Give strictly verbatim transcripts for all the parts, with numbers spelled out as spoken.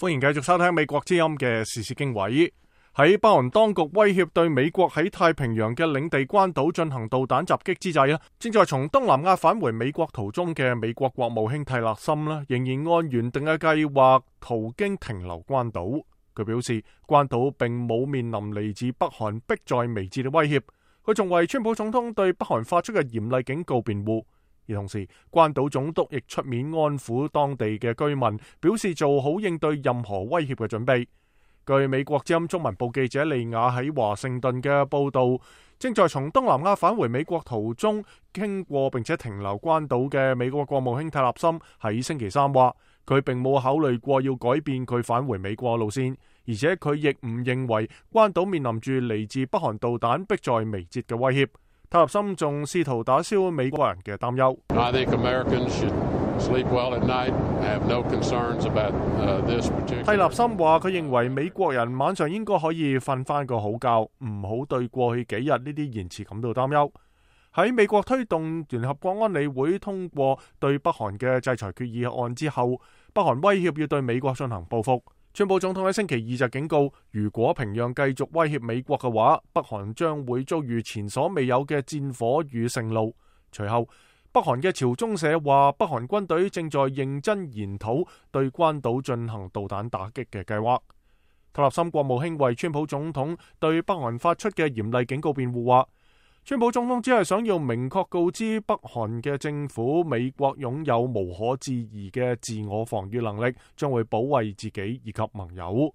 歡迎繼續收聽美國之音嘅時事經緯。喺北韓當局威脅對美國喺太平洋嘅領地關島進行導彈襲擊之際，正在從東南亞返回美國途中嘅美國國務卿蒂勒森仍然按原定嘅計劃途經停留關島。佢表示，關島並冇面臨嚟自北韓迫在眉睫嘅威脅。佢仲為川普總統對北韓發出嘅嚴厲警告辯護。而同時，關島總督亦出面安撫當地嘅居民，表示做好應對任何威脅嘅準備。據美國之音中文部記者利亞喺華盛頓嘅報道，正在從東南亞返回美國途中經過並且停留關島嘅美國國務卿蒂勒森喺星期三話，佢並冇考慮過要改變佢返回美國路線，而且佢亦唔認為關島面臨住嚟自北韓導彈迫在眉睫嘅威脅。蒂勒森仲試圖打消美國人嘅擔憂。I think Americans should sleep well at night. I have no concerns about this particular. 蒂勒森話：佢認為美國人晚上應該可以瞓翻個好覺，唔好對過去幾日呢啲言辭感到擔憂。喺美國推動聯合國安理會通過對北韓嘅制裁決議案之後，北韓威脅要對美國進行報復。川普總統喺星期二就警告，如果平壤繼續威脅美國嘅話，北韓將會遭遇前所未有嘅戰火與盛怒。隨後，北韓嘅朝中社話，北韓軍隊正在認真研討對關島進行導彈打擊嘅計劃。蒂勒森國務卿為川普總統對北韓發出嘅嚴厲警告辯護話，川普總統只係想要明確告知北韓嘅政府，美國擁有無可置疑嘅自我防禦能力，將會保衛自己以及盟友。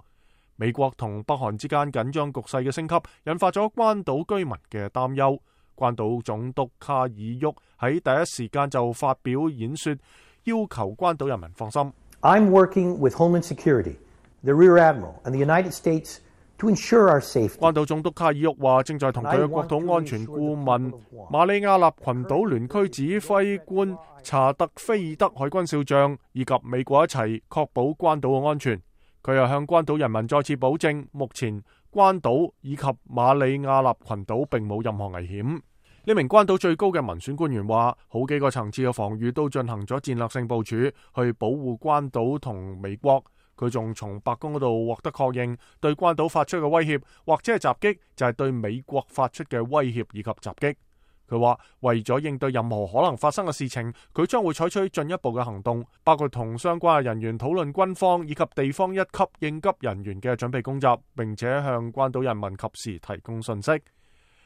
美國同北韓之間緊張局勢嘅升級，引發咗關島居民嘅擔憂。關島總督卡爾沃喺第一時間就發表演說，要求關島人民放心。I'm working with Homeland Security, the Rear Admiral, and the United States to ensure our safety. 關島總督卡爾沃話，正在同佢嘅國土安全顧問馬里亞納群島聯區指揮官查特菲爾德海軍少將以及美國一齊確保關島嘅安全。佢又向關島人民再次保證，目前關島以及馬里亞納群島並冇任何危險。呢名關島最高嘅民選官員話，好幾個層次嘅防禦都進行咗戰略性部署，去保護關島同美國。佢仲從白宮嗰度獲得確認，對關島發出嘅威脅或者係襲擊，就係對美國發出嘅威脅以及襲擊。佢話為咗應對任何可能發生嘅事情，佢將會採取進一步嘅行動，包括同相關嘅人員討論軍方以及地方一級應急人員嘅準備工作，並且向關島人民及時提供信息。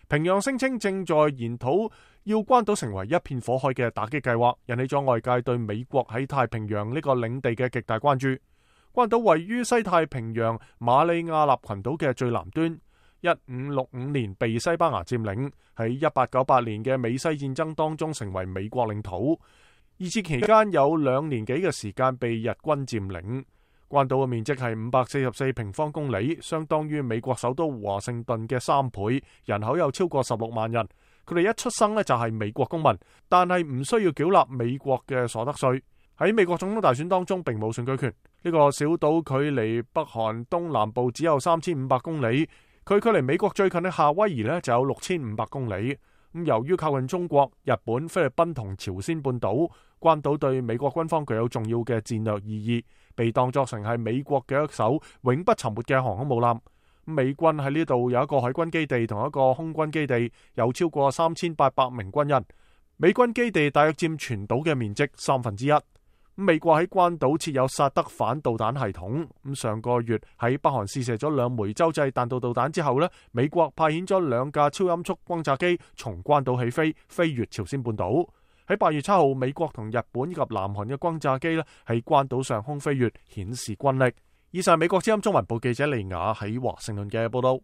平壤聲稱正在研討要關島成為一片火海嘅打擊計劃，引起咗外界對美國喺太平洋呢個領地嘅極大關注。關島位於西太平洋馬里亞納群島嘅最南端，一五六五年被西班牙佔領，喺一八九八年嘅美西戰爭當中成為美國領土。二戰期間有兩年幾嘅時間被日軍佔領。關島嘅面積係五百四十四平方公里，相當於美國首都華盛頓嘅三倍，人口有超過十六萬人。佢哋一出生呢就係美國公民，但係唔需要繳納美國嘅所得稅。喺美國總統大選當中並冇選舉權。呢個小島距離北韓東南部只有三千五百公里，佢距離美國最近嘅夏威夷呢就有六千五百公里。咁由於靠近中國、日本、菲律賓同朝鮮半島，關島對美國軍方具有重要嘅戰略意義，被當作成係美國嘅一艘永不沉沒嘅航空母艦。美軍喺呢度有一個海軍基地同一個空軍基地，有超過三千八百名軍人。美軍基地大約佔全島嘅面積三分之一。美國喺關島設有薩德反導彈系統。咁上個月喺北韓試射咗兩枚洲際彈道導彈之後呢，美國派遣咗兩架超音速轟炸機從關島起飛，飛越朝鮮半島。喺八月七號，美國同日本以及南韓嘅轟炸機呢喺關島上空飛越，顯示軍力。以上係美國之音中文部記者利雅喺華盛頓嘅報道。